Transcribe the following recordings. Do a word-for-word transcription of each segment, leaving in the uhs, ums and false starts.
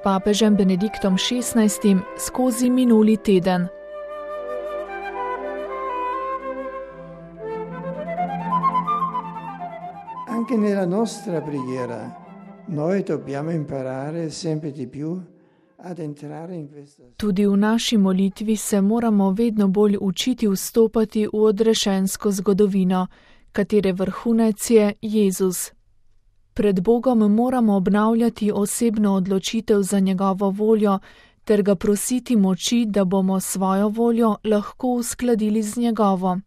papežem Benediktom šestnajstim skozi minuli teden. Anche nella nostra preghiera noi dobbiamo imparare sempre di più ad entrare in questa. Tudi v naši molitvi se moramo vedno bolj učiti vstopati v odrešensko zgodovino, katere vrhunec je Jezus. Pred Bogom moramo obnavljati osebno odločitev za njegovo voljo ter ga prositi moči, da bomo svojo voljo lahko uskladili z njegovo.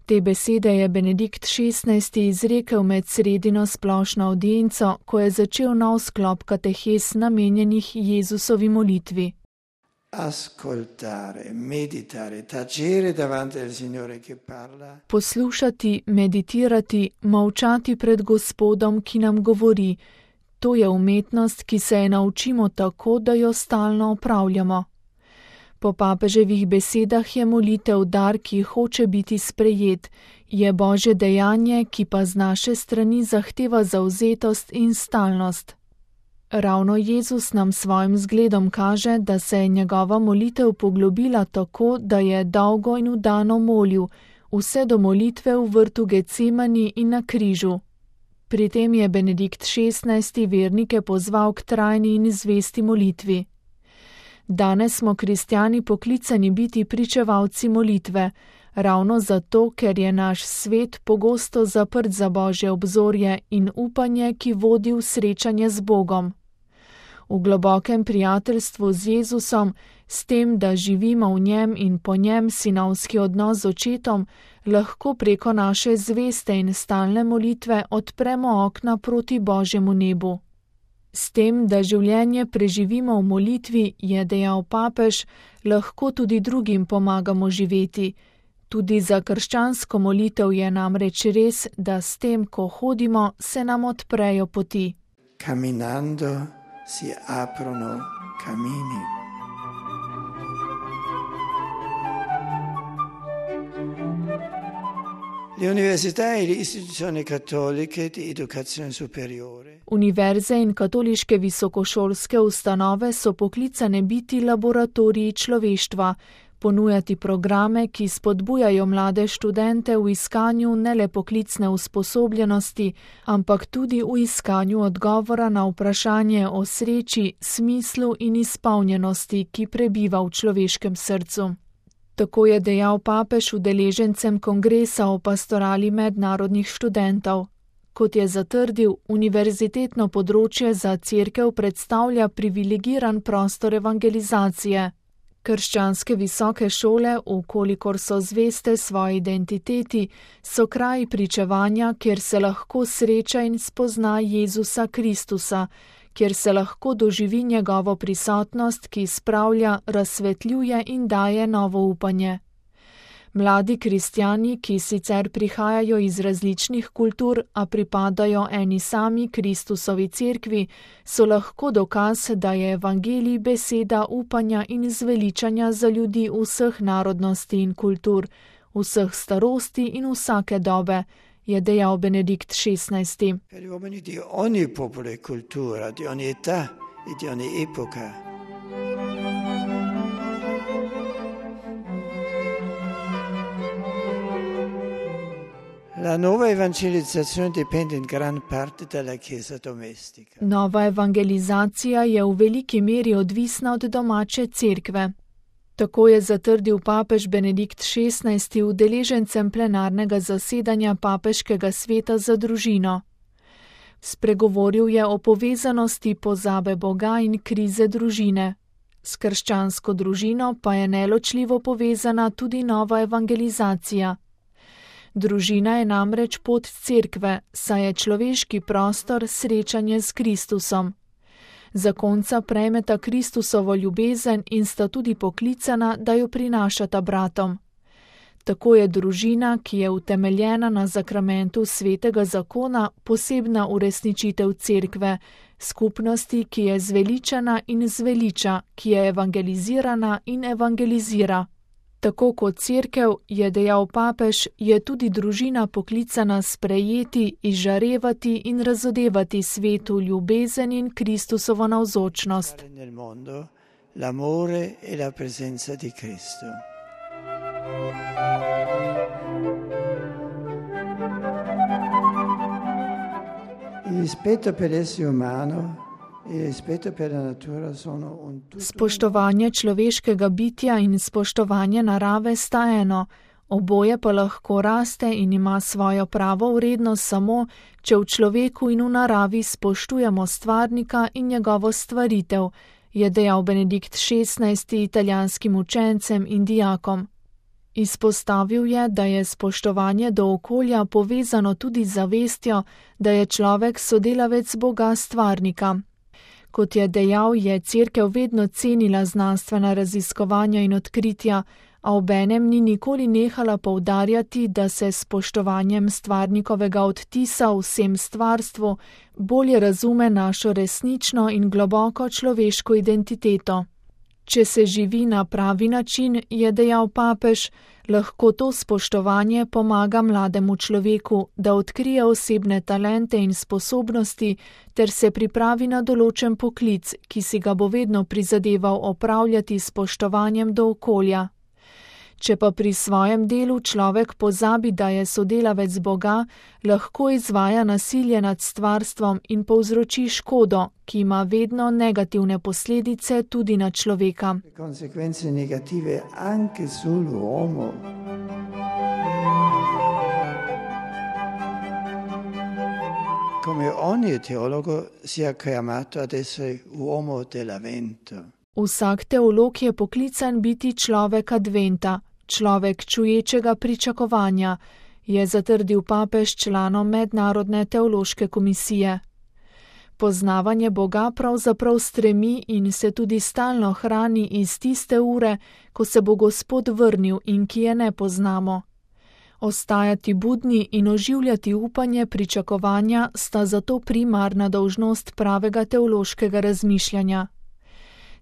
Te besede je Benedikt šestnajsti izrekel med sredino splošno avdienco, ko je začel nov sklop katehes namenjenih Jezusovi molitvi. Ascoltare, meditare, tacere davanti al Signore che parla. Poslušati, meditirati, molčati pred Gospodom, ki nam govori. To je umetnost, ki se je naučimo tako, da jo stalno opravljamo. Po papeževih besedah je molitev dar, ki hoče biti sprejet, je Božje dejanje, ki pa z naše strani zahteva zavzetost in stalnost. Ravno Jezus nam svojim zgledom kaže, da se je njegova molitev poglobila tako, da je dolgo in vdano molil, vse do molitve v vrtu Getsemani in na križu. Pri tem je Benedikt šestnajsti vernike pozval k trajni in zvesti molitvi. Danes smo kristjani poklicani biti pričevalci molitve, ravno zato, ker je naš svet pogosto zaprt za Božje obzorje in upanje, ki vodi v srečanje z Bogom. V globokem prijateljstvu z Jezusom, s tem, da živimo v njem in po njem sinovski odnos z očetom, lahko preko naše zveste in stalne molitve odpremo okna proti Božjemu nebu. S tem, da življenje preživimo v molitvi, je dejal papež, lahko tudi drugim pomagamo živeti. Tudi za krščansko molitev je namreč res, da s tem, ko hodimo, se nam odprejo poti. Camminando si aprono cammini. Le università e le istituzioni cattoliche di educazione superiore. Univerze in katoliške visokošolske ustanove so poklicane biti laboratoriji človeštva, ponujati programe, ki spodbujajo mlade študente v iskanju ne le poklicne usposobljenosti, ampak tudi v iskanju odgovora na vprašanje o sreči, smislu in izpolnjenosti, ki prebiva v človeškem srcu. Tako je dejal papež udeležencem kongresa o pastorali mednarodnih študentov. Kot je zatrdil, univerzitetno področje za cerkev predstavlja privilegiran prostor evangelizacije. Krščanske visoke šole, vkolikor so zveste svoji identiteti, so kraji pričevanja, kjer se lahko sreča in spozna Jezusa Kristusa, kjer se lahko doživi njegovo prisotnost, ki spravlja, razsvetljuje in daje novo upanje. Mladi kristjani, ki sicer prihajajo iz različnih kultur, a pripadajo eni sami Kristusovi cerkvi, so lahko dokaz, da je evangelij beseda upanja in zveličanja za ljudi vseh narodnosti in kultur, vseh starosti in vsake dobe, je dejal Benedikt šestnajsti. Per gli uomini di ogni popolo e cultura, di ogni età e di ogni epoca. La nuova evangelizzazione dipende in gran parte dalla Chiesa domestica. Nova evangelizacija je v veliki meri odvisna od domače cerkve. Tako je zatrdil papež Benedikt šestnajsti udeležencem plenarnega zasedanja Papeškega sveta za družino. Spregovoril je o povezanosti pozabe Boga in krize družine. S krščansko družino pa je neločljivo povezana tudi nova evangelizacija. Družina je namreč pot cerkve, saj je človeški prostor srečanje s Kristusom. Zakonca prejmeta Kristusovo ljubezen in sta tudi poklicana, da jo prinašata bratom. Tako je družina, ki je utemeljena na zakramentu svetega zakona, posebna uresničitev cerkve, skupnosti, ki je zveličana in zveliča, ki je evangelizirana in evangelizira. Tako kot cerkev, je dejal papež, je tudi družina poklicana sprejeti, izžarevati in razodevati svetu ljubezen in Kristusovo navzočnost. L'amore e la presenza di Cristo. Il rispetto per l'essere umano e il rispetto per la natura sono un tutto. Spoštovanje človeškega bitja in spoštovanje narave sta eno, oboje pa lahko raste in ima svojo pravo vrednost samo, če v človeku in v naravi spoštujemo stvarnika in njegovo stvaritev, je dejal Benedikt šestnajsti italijanskim učencem in dijakom. Izpostavil je, da je spoštovanje do okolja povezano tudi z zavestjo, da je človek sodelavec Boga stvarnika. Kot je dejal, je cerkev vedno cenila znanstvena raziskovanja in odkritja, a obenem ni nikoli nehala poudarjati, da se s spoštovanjem stvarnikovega odtisa v vsem stvarstvu bolje razume našo resnično in globoko človeško identiteto. Če se živi na pravi način, je dejal papež, lahko to spoštovanje pomaga mlademu človeku, da odkrije osebne talente in sposobnosti ter se pripravi na določen poklic, ki si ga bo vedno prizadeval opravljati s spoštovanjem do okolja. Če pa pri svojem delu človek pozabi, da je sodelavec Boga, lahko izvaja nasilje nad stvarstvom in povzroči škodo, ki ima vedno negativne posledice tudi na človeka. Konsekvence negative anche sull'uomo. Come ogni teologo sia chiamato ad essere uomo dell'avvento. Vsak teolog je poklican biti človek adventa, človek čuječega pričakovanja, je zatrdil papež članom Mednarodne teološke komisije. Poznavanje Boga pravzaprav stremi in se tudi stalno hrani iz tiste ure, ko se bo Gospod vrnil in ki je ne poznamo. Ostajati budni in oživljati upanje pričakovanja sta zato primarna dolžnost pravega teološkega razmišljanja.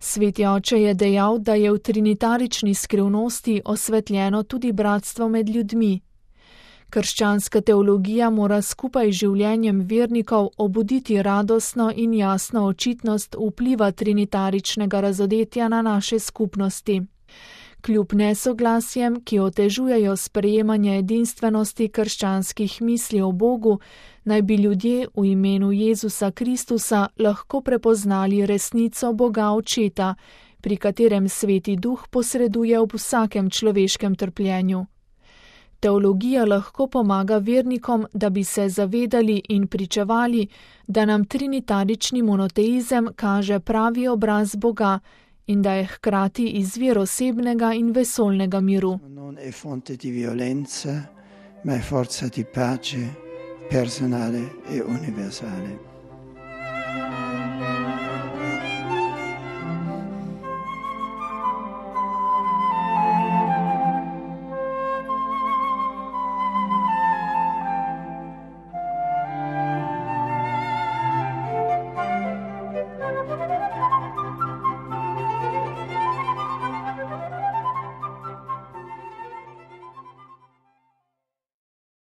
Sveti oče je dejal, da je v trinitarični skrivnosti osvetljeno tudi bratstvo med ljudmi. Krščanska teologija mora skupaj z življenjem vernikov obuditi radostno in jasno očitnost vpliva trinitaričnega razodetja na naše skupnosti. Kljub nesoglasjem, ki otežujejo sprejemanje edinstvenosti krščanskih misli o Bogu, naj bi ljudje v imenu Jezusa Kristusa lahko prepoznali resnico Boga Očeta, pri katerem Sveti Duh posreduje ob vsakem človeškem trpljenju. Teologija lahko pomaga vernikom, da bi se zavedali in pričevali, da nam trinitarični monoteizem kaže pravi obraz Boga in da je hkrati izvir osebnega in vesoljnega miru. Non è fonte di violenza, ma è forza di pace personale e universale.